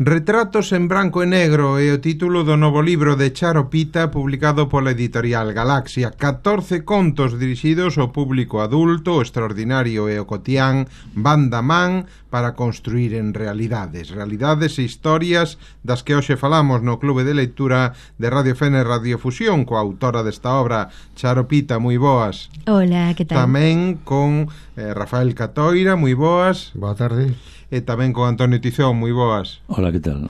Retratos en branco e negro é o título do novo libro de Charo Pita, publicado pola editorial Galaxia. 14 contos dirixidos ao público adulto, o extraordinario e o cotián van da man para construir en realidades e historias das que hoxe falamos no Clube de Lectura de Radio Fene Radiofusión, coa autora desta obra, Charo Pita. Moi boas. Hola, que tal? Tamén con Rafael Catoira, moi boas. Boa tarde. E tamén con Antonio Tizón, moi boas. Hola, que tal?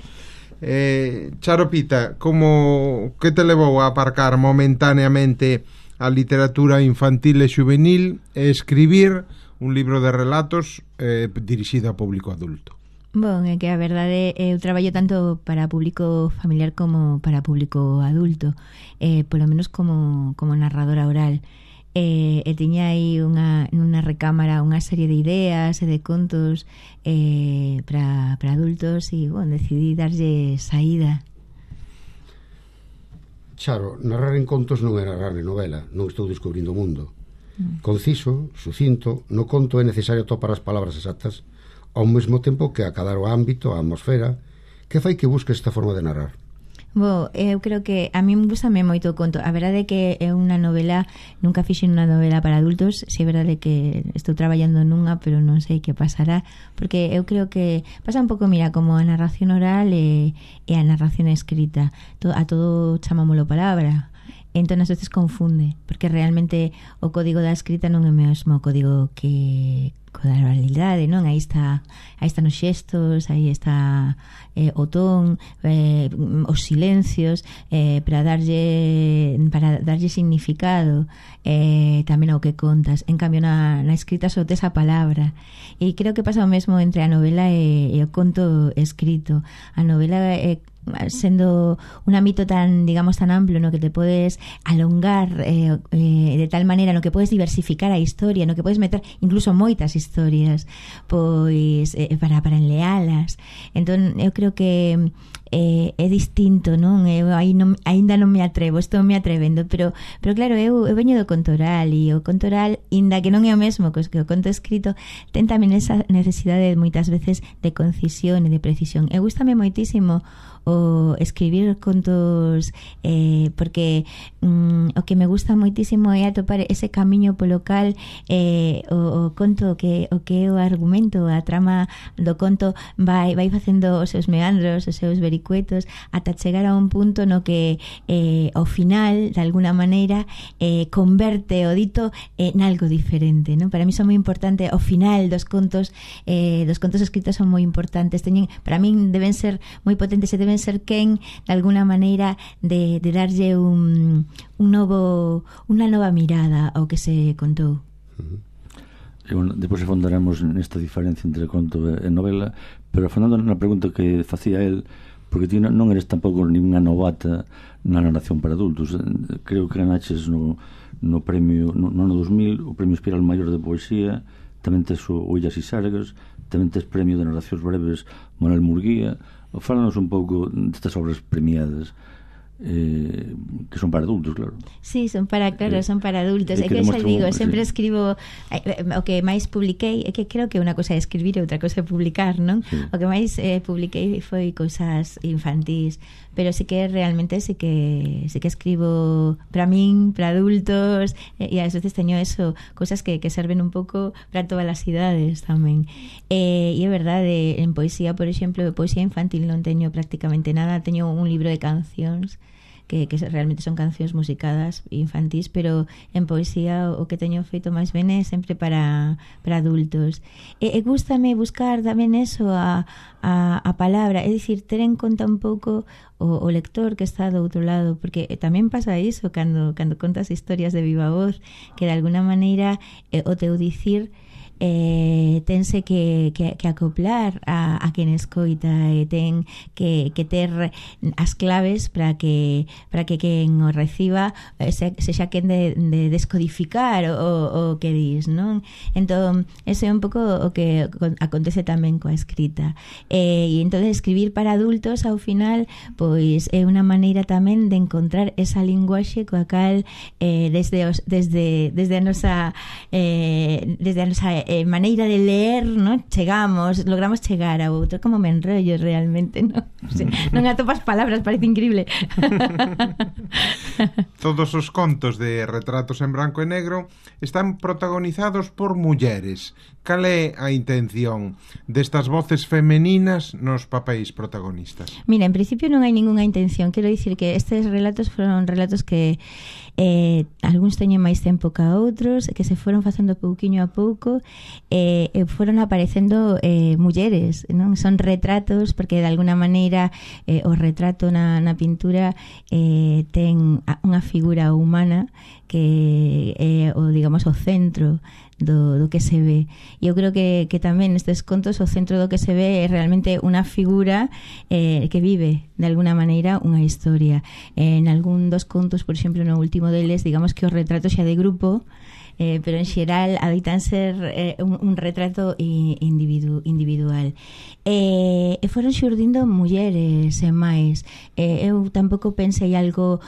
Charo Pita, que te levou a aparcar momentaneamente a literatura infantil e juvenil e escribir un libro de relatos dirixido a público adulto? Bon, é que a verdade eu traballo tanto para público familiar como para público adulto, polo menos como narradora oral. E tiña aí nunha recámara unha serie de ideas e de contos para adultos e, bon, decidí darlle saída. Charo, narrar en contos non é narrar en novela, non estou descubrindo o mundo. Conciso, sucinto, no conto é necesario topar as palabras exactas ao mesmo tempo que acadar o ámbito, a atmosfera, que fai que busques esta forma de narrar. Bo, eu creo que a mí gustame moito o conto. A verdade é que é unha novela, nunca fixen unha novela para adultos. Si é verdade que estou traballando nunha, pero non sei que pasará, porque eu creo que pasa un pouco, mira, como a narración oral e a narración escrita. A todo chamámolo palabra. Entón, as veces confunde, porque realmente o código da escrita non é o mesmo código que da oralidade, non? Aí están os xestos, aí está o ton, os silencios, para darlle significado tamén ao que contas. En cambio, na escrita só tes a palabra. E creo que pasa o mesmo entre a novela e o conto escrito. A novela sendo un ámbito tan, digamos, tan amplo no que te podes alongar de tal maneira, no que podes diversificar a historia, no que podes meter incluso moitas historias pois para enlealas. Entón eu creo que é distinto, non? Eu aínda non me atrevo, estou me atrevendo, pero claro, eu veño do conto oral, e o conto oral, inda que non é o mesmo que o conto escrito, ten tamén esa necesidade moitas veces de concisión e de precisión. E gústame moitísimo o escribir contos porque o que me gusta moitísimo é atopar ese camiño polo cal o conto, o que é o argumento, a trama do conto vai facendo os seus meandros, os seus vericuetos, ata chegar a un punto no que ao final, de alguna maneira, converte o dito nalgo diferente, non? Para mí son moi importante o final dos contos escritos, son moi importantes. Para min deben ser moi potentes e deben ser quen, de alguna maneira, de darlle unha nova mirada ao que se contou. Depois afondaremos nesta diferencia entre conto e novela, pero afondando na pregunta que facía el, porque ti non eres tampouco ninguna novata na narración para adultos. Creo que ganaches no premio no ano 2000 o premio Espiral Maior de Poesía, tamén tes o Illas e Sargas, tamén tes premio de narracións breves Manuel Murguía. Fálanos un pouco destas obras premiadas, que son para adultos, claro. Sí, son para adultos. É que xa digo, sempre escribo o que máis publiquei, é que creo que unha cosa é escribir e outra cosa é publicar, non? Sí. O que máis publiquei foi cousas infantís, pero sí que realmente sí que escribo para min, para adultos, e ás veces teño eso, cousas que serven un pouco para todas as idades tamén. E é verdade, en poesía, por exemplo, poesía infantil non teño prácticamente nada. Teño un libro de cancións que realmente son cancións musicadas infantís, pero en poesía o que teño feito máis ben é sempre para adultos. E gústame buscar tamén eso, a palabra, é dicir, ter en conta un pouco o lector que está do outro lado, porque tamén pasa iso cando contas historias de viva voz, que de alguna maneira o teu dicir tense que acoplar a quen escoita, e ten que ter as claves para que quen o reciba sexa quen de descodificar o que dis, non? Entón, ese é un pouco o que acontece tamén coa escrita, e entón escribir para adultos ao final pois é unha maneira tamén de encontrar esa linguaxe coa cal desde a nosa maneira de ler, non? Logramos chegar a outro. Como me enrollo realmente, non? O sea, non atopas palabras, parece increíble. Todos os contos de Retratos en branco e negro están protagonizados por mulleres. Cal é a intención destas voces femeninas nos papéis protagonistas? Mira, en principio non hai ningunha intención. Quero dicir que estes relatos foron relatos que algúns teñen máis tempo que a outros, que se foron facendo pouquiño a pouco, foron aparecendo mulleres, non? Son retratos, porque de alguna maneira o retrato na pintura ten unha figura humana que é o centro do que se ve. E eu creo que tamén nestes contos o centro do que se ve é realmente unha figura que vive de alguna maneira unha historia. En algún dos contos, por exemplo, no último deles, digamos que os retratos xa de grupo, pero en xeral habitan ser un retrato individual. E foron xurdindo mulleres e máis. Eu tampouco pensei algo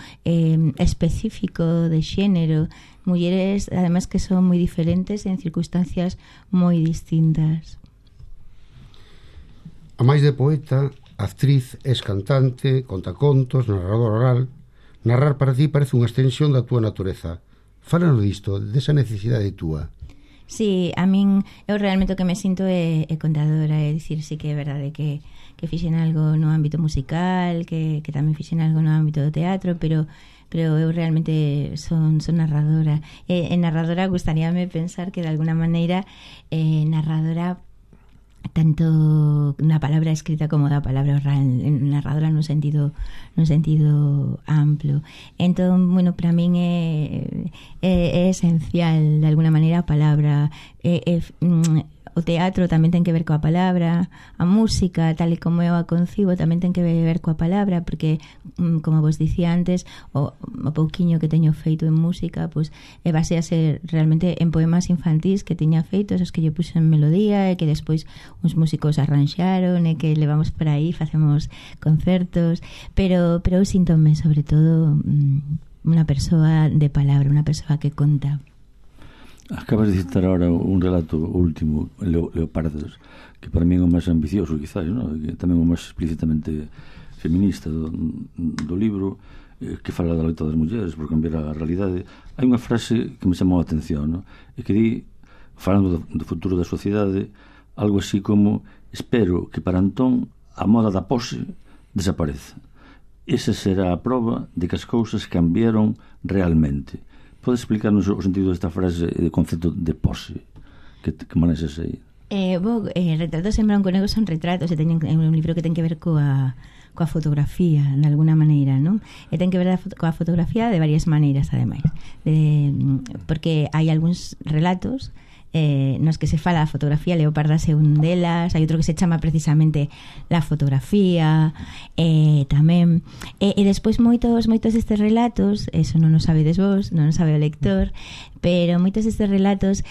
específico de xénero. Mulleres, además, que son moi diferentes en circunstancias moi distintas. A máis de poeta, actriz, es cantante, contacontos, narrador oral. Narrar para ti parece unha extensión da túa natureza. Fálanos disto, desa necesidade túa. Sí, a min, eu realmente o que me sinto é contadora, é dicir, sí que é verdade que fixen algo no ámbito musical, que tamén fixen algo no ámbito do teatro, pero eu realmente son narradora. En narradora gustaríame pensar que de alguna maneira narradora tanto na palabra escrita como da palabra oral, narradora nun sentido amplo. Entón, bueno, para min é esencial de alguna maneira a palabra. O teatro tamén ten que ver coa palabra, a música, tal e como eu a concibo, tamén ten que ver coa palabra, porque, como vos dicía antes, o pouquiño que teño feito en música, pois basease realmente en poemas infantís que teña feitos, os que yo puse en melodía, e que despois uns músicos arranxaron, e que levamos por aí, facemos concertos, pero eu síntome, sobre todo, unha persoa de palabra, unha persoa que conta. Acabas de citar ahora un relato último, Leopardas, que para mí é o máis ambicioso, quizás, ¿no? Que tamén o máis explícitamente feminista do libro, que fala da loita das mulleres por cambiar a realidade. Hai unha frase que me chamou a atención, ¿no? E que di, falando do futuro da sociedade, algo así como: espero que para entón a moda da pose desapareza. Esa será a proba de que as cousas cambiaron realmente. Podes explicarnos o sentido desta frase e do concepto de pose que manexas aí? Retratos en branco e negro son retratos, é un libro que ten que ver coa fotografía, de alguna maneira, non? E ten que ver coa fotografía de varias maneiras, ademais, porque hai algúns relatos nos que se fala da fotografía. Leopardas é un delas, hai outro que se chama precisamente La fotografía, tamén, e despois moitos destes relatos, eso non o sabedes vos, non o sabe o lector, pero moitos destes relatos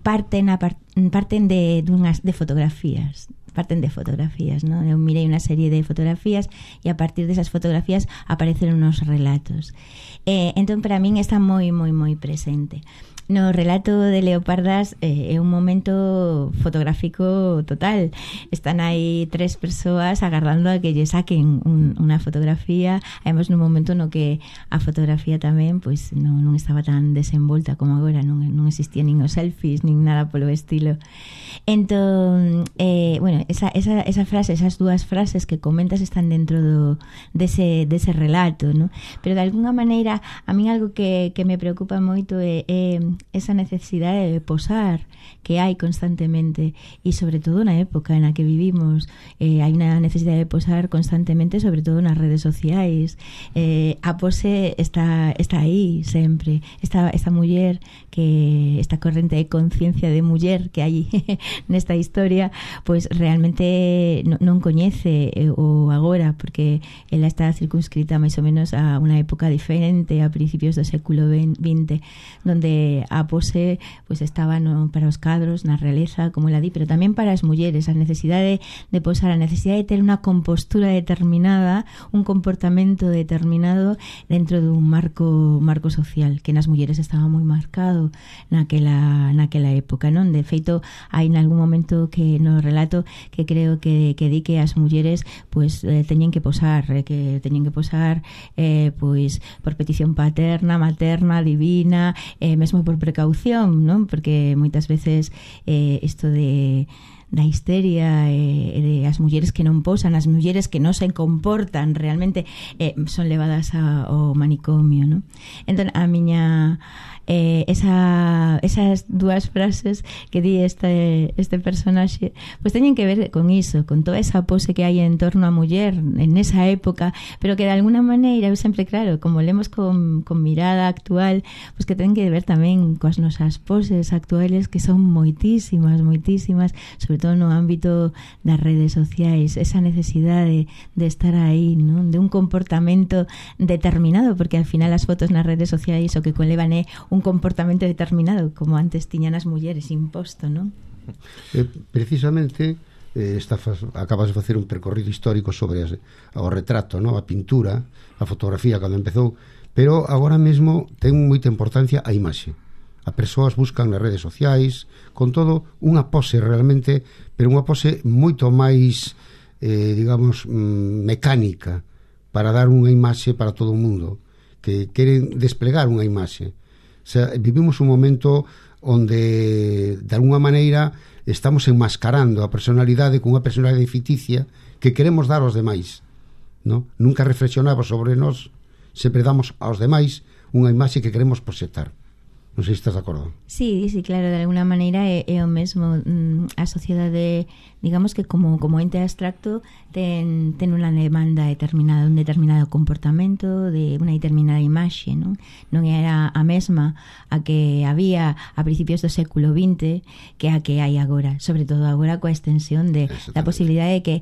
parten de fotografías. Parten de fotografías, ¿no? Eu mirei unha serie de fotografías e a partir desas fotografías apareceron unos relatos. Entón, para min está moi presente. No relato de Leopardas é un momento fotográfico total. Están aí 3 persoas agardando a que lle saquen unha fotografía. Además, nun momento no que a fotografía tamén pois non estaba tan desenvolta como agora, non existía nin os selfies, nin nada polo estilo. Entón, bueno, esa frase, esas dúas frases que comentas están dentro dese relato, ¿no? Pero de alguna maneira a min algo que me preocupa moito é esa necesidade de posar que hai constantemente, e sobre todo na época na que vivimos, hai unha necesidade de posar constantemente, sobre todo nas redes sociais. A pose está aí sempre. Esta muller, que esta corrente de conciencia de muller que hai nesta historia, pois realmente non coñece o agora, porque ela está circunscrita máis ou menos a unha época diferente, a principios do século XX, donde a pose pues estaba para os cadros, na realeza, como ela di, pero tamén para as mulleres, a necesidade de posar, a necesidade de ter unha compostura determinada, un comportamento determinado dentro dun marco social, que nas mulleres estaba moi marcado naquela época, non? De feito, hai nalgún momento que no relato que creo que di que as mulleres pues teñen que posar pois por petición paterna, materna, divina, mesmo por precaución, non? Porque moitas veces isto da histeria de as mulleres que non posan, as mulleres que non se comportan realmente son levadas ao manicomio, non? Entón, a miña esas dúas frases que di este personaxe pues teñen que ver con iso, con toda esa pose que hai en torno á muller en esa época, pero que de alguna maneira eu sempre, claro, como lemos con mirada actual, pues que ten que ver tamén coas nosas poses actuales, que son moitísimas, sobre todo no ámbito das redes sociais, esa necesidade de estar aí, non? De un comportamento determinado, porque al final as fotos nas redes sociais o que conlevan é un comportamento determinado, como antes tiñan as mulleres imposto, non? Precisamente acabas de facer un percorrido histórico sobre o retrato, non? A pintura, a fotografía cando empezou, pero agora mesmo ten moita importancia a imaxe. As persoas buscan nas redes sociais con todo unha pose realmente, pero unha pose moito máis digamos mecánica, para dar unha imaxe para todo o mundo, que queren desplegar unha imaxe. O sea, vivimos un momento onde de alguna maneira estamos enmascarando a personalidade con unha personalidade ficticia que queremos dar aos demais, ¿no? Nunca reflexionamos sobre nós, sempre damos aos demais unha imaxe que queremos proxectar. Non sei se estás de acordo. Sí, claro, de alguna maneira é o mesmo. A sociedade, digamos que como ente abstracto ten unha demanda determinada, un determinado comportamento, de unha determinada imaxe, non era a mesma a que había a principios do século XX que a que hai agora, sobre todo agora coa extensión da posibilidade de que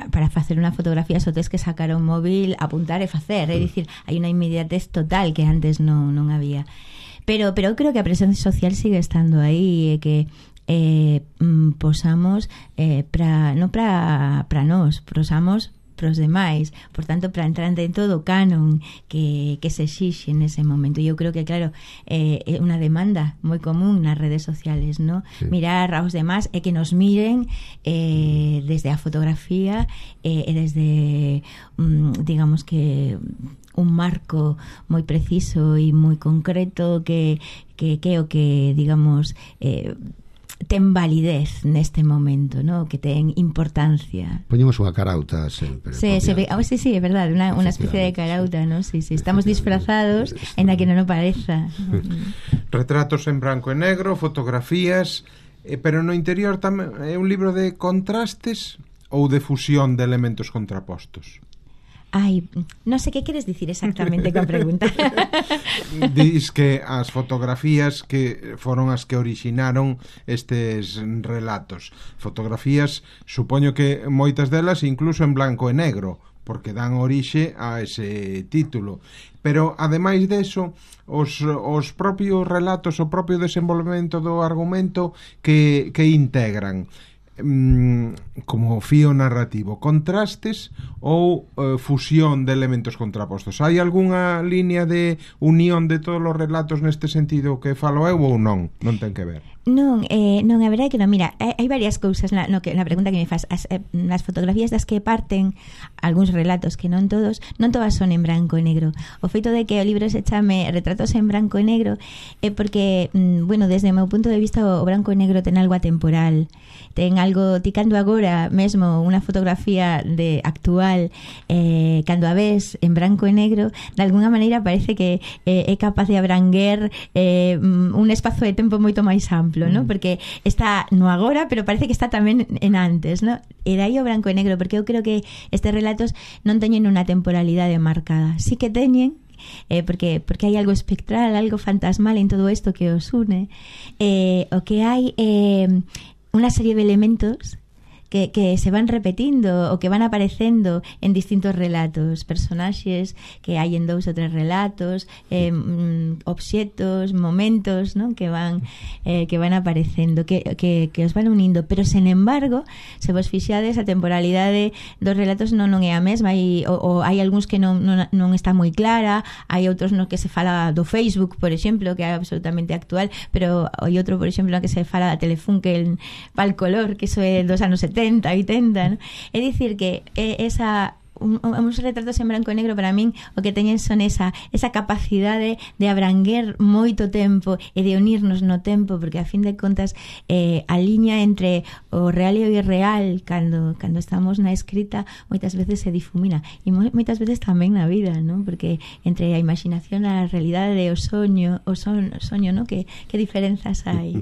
para facer unha fotografía só tes que sacar un móvil, apuntar e facer, é dicir, hai unha inmediatez total que antes non había. Pero eu creo que a presencia social sigue estando aí, que posamos non para nós, posamos pros demais, por tanto para entrar dentro do canon que se exixe nese momento. E eu creo que claro, é unha demanda moi común nas redes sociales, ¿no? Sí. Mirar aos demás e que nos miren desde a fotografía e desde digamos que un marco moi preciso e moi concreto que o que digamos ten validez neste momento, ¿no? Que ten importancia. Poñemos unha carauta sempre. Sí, é verdade, unha especie de carauta, ¿no? Sí, estamos disfrazados en la que non o pareza. Retratos en branco e negro, fotografías, pero no interior tamén é un libro de contrastes ou de fusión de elementos contrapostos. Ai, non sei que queres dicir exactamente coa pregunta. Dis que as fotografías que foron as que orixinaron estes relatos. Fotografías, supoño que moitas delas incluso en blanco e negro, porque dan orixe a ese título. Pero, ademais deso, os propios relatos, o propio desenvolvemento do argumento que integran como fío narrativo, contrastes ou fusión de elementos contrapostos. Hai algunha línea de unión de todos os relatos neste sentido que falo eu ou non? Non ten que ver. Non, a verdade é que non. Mira, hai varias cousas na pregunta que me faz. As fotografías das que parten algúns relatos, que non todas son en branco e negro. O feito de que o libro se chame Retratos en branco e negro é porque, bueno, desde o meu punto de vista o branco e negro ten algo atemporal, ten algo, ti cando agora mesmo unha fotografía de actual, cando a ves en branco e negro, de alguna maneira parece que é capaz de abranguer un espazo de tempo moito máis amplo, ¿no? Porque está no agora, pero parece que está tamén en antes, ¿no? E dai o branco e negro, porque eu creo que estes relatos non teñen unha temporalidade marcada. Sí que teñen, porque hai algo espectral, algo fantasmal en todo isto que os une. O que hai unha serie de elementos que se van repetindo ou que van aparecendo en distintos relatos, personaxes que hai en 2 ou 3 relatos, obxetos, momentos, non? que van aparecendo, que os van unindo, pero sen embargo, se vos fixades, a temporalidade dos relatos non é a mesma, ou hai algúns que non está moi clara, hai outros no que se fala do Facebook, por exemplo, que é absolutamente actual, pero hai outro, por exemplo, no que se fala da Telefunken pal color, que iso é dos anos 70, 80, ¿no? É dicir que uns retratos en branco e negro para min o que teñen son esa capacidade de abranguer moito tempo e de unirnos no tempo, porque a fin de contas a liña entre o real e o irreal cando estamos na escrita moitas veces se difumina, e moitas veces tamén na vida, non? Porque entre a imaginación e a realidade, o soño, non? Que diferenzas hai?